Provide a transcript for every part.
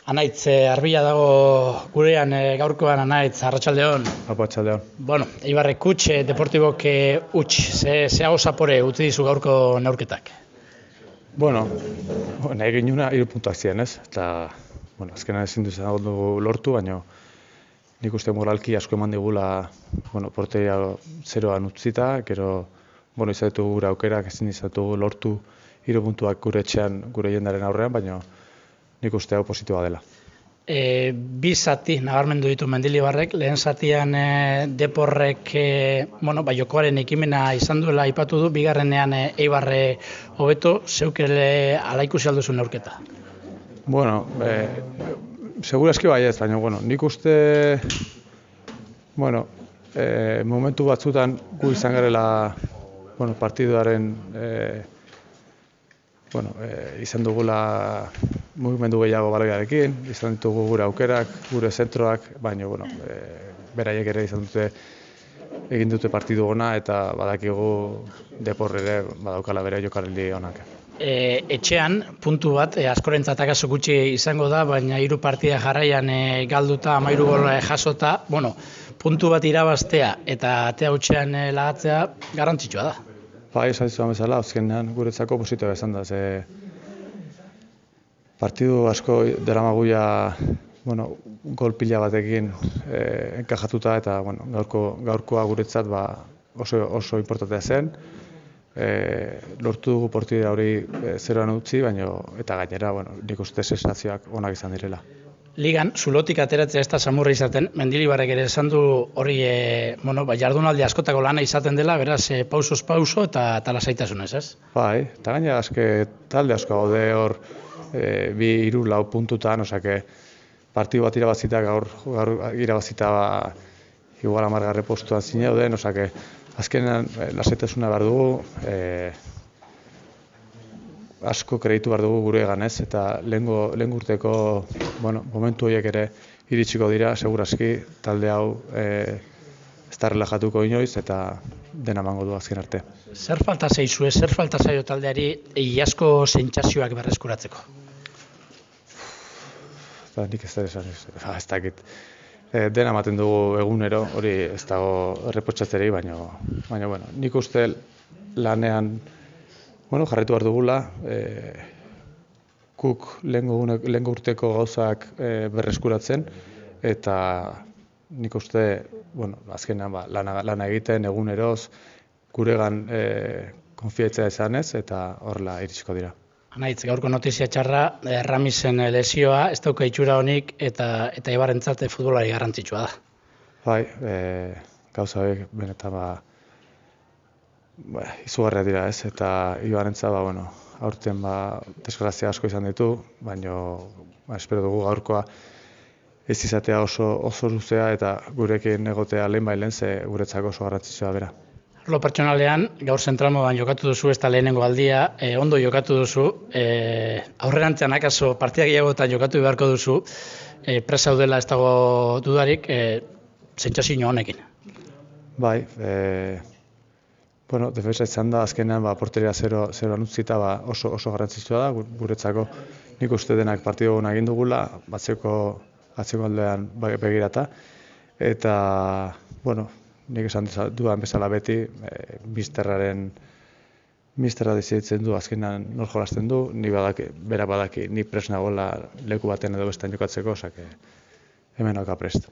Anaitz, Arbila dago gurean gaurkoan, Anaitz, arratsaldeon. Arratsaldeon. Bueno, Eibarrek huts, Deportibok huts, ze hau zapore utzi dizu gaurko neurketak? Bueno, nahi ginuna 3 puntuak ziren, ez? Eta, azkenan ezin dugu lortu, baina nik uste moralki asko eman digula, porteria 0an utzita, gero, izatugu gure aukerak, ezin izatugu lortu 3 puntuak gure etxean, gure jendaren aurrean, baina nik uste hau positiboa dela. Bi zati nabarmendu ditu Mendilibarrek, lehen zatian Deporrek jokoaren ekimena izan duela aipatu du, bigarrenean Eibarre hobeto, zeukele ala ikusi alduzu neurketa? Bueno, segurazki baiez, baina nik uste momentu batzutan gu izan garela partiduaren izan dugula mugimendu gehiago baloiarekin, izan ditugu gure aukerak, gure zentroak, baina beraiek ere egin dute partidu ona eta badakigu Depor ere badaukala bere jokaldi onak. Etxean, puntu bat, askorentzat akaso gutxi izango da, baina 3 partida jarraian galduta, 13 gol jasota, puntu bat irabaztea eta atea hutsean lagatzea garrantzitsua da. Bai, esan dizudan bezala, azkenean guretzako positiboa izan da, partidu asko daramaguia gol pila batekin enkajatuta eta gaurkoa guretzat oso importantea zen. Lortu dugu partida hori 0an utzi, eta gainera nik uste sensazioak onak izan direla. Ligan, zulotik ateratzea ez da samurra izaten, Mendilibarrek ere esan du hori jardunaldi askotako lana izaten dela, beraz pausoz pauso eta lasaitasunez, ez? Bai, eta gainera talde asko gaude hor 2-3 puntutan, partidu bat irabazita, gaur irabazita igual 10. postuan zineuden, azkenean lasaitasuna behar dugu, asko kreditu behar dugu gure egan, ez? Eta lehen urteko momentu horiek ere iritsiko dira, segurazki talde hau ez da relajatuko inoiz eta dena emango du azken arte. Zer falta zaizue, zer falta zaio taldeari iazko sentsazioak berreskuratzeko? Nik ez dakit. Dena ematen dugu egunero, hori ez dago erreprotxatzerei, baina nik uste lanean jarraitu behar dugula, guk lehen urteko gauzak berreskuratzen, eta nik uste azkenean lana egiten eguneroz, guregan konfiatzea izanez, eta horrela iritsiko dira. Anaitz, gaurko notizia txarra, Ramisen lesioa, ez dauka itxura honik, eta Eibarrentzat futbolari garrantzitsua da. Bai, gauza horiek benetan izugarriak dira, ez? Eta Eibarrentzat aurten desgrazia asko izan ditu, baina espero dugu gaurkoa ez izatea oso luzea eta gurekin egotea lehen ze guretzako oso garrantzitsua bera. Arlo pertsonalean, gaur zentralmodan jokatu duzu, ez da lehenengo aldia, ondo jokatu duzu, aurrerantzean akaso partida gehiagotan jokatu beharko duzu, presa daudela ez dago dudarik, sentsazio honekin. Bai, defensa izan da, azkenean porteria 0an utzita oso garrantzitsua da, guretzako nik uste denak partidu gona egin dugula, atzeko aldean begirata, eta, nik esan dudan bezala beti, misterra deziditzen du, azkenean nor jolasten du, bera badaki, ni prest nagoela leku baten edo bestean jokatzeko, hemen nauka prest.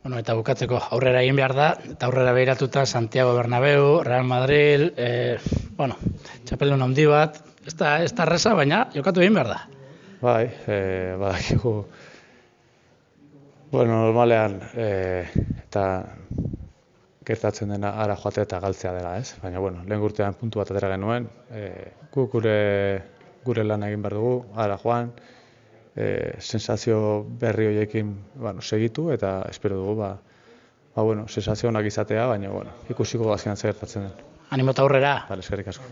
Eta bukatzeko aurrera egin behar da, eta aurrera behiratuta Santiago Bernabéu, Real Madrid, txapeldun handi bat, ez da erreza, baina jokatu egin behar da. Bai, badakigu, normalean, eta gertatzen dena ara joatea eta galtzea dela, ez? Baina, lehen urtean puntu bat atera genuen, guk gure lan egin behar dugu, ara joan, sensazio berri horiekin segitu eta espero dugu sensazio onak izatea, baina ikusiko azkenan zer gertatzen den. Animota aurrera! Eskerrik asko.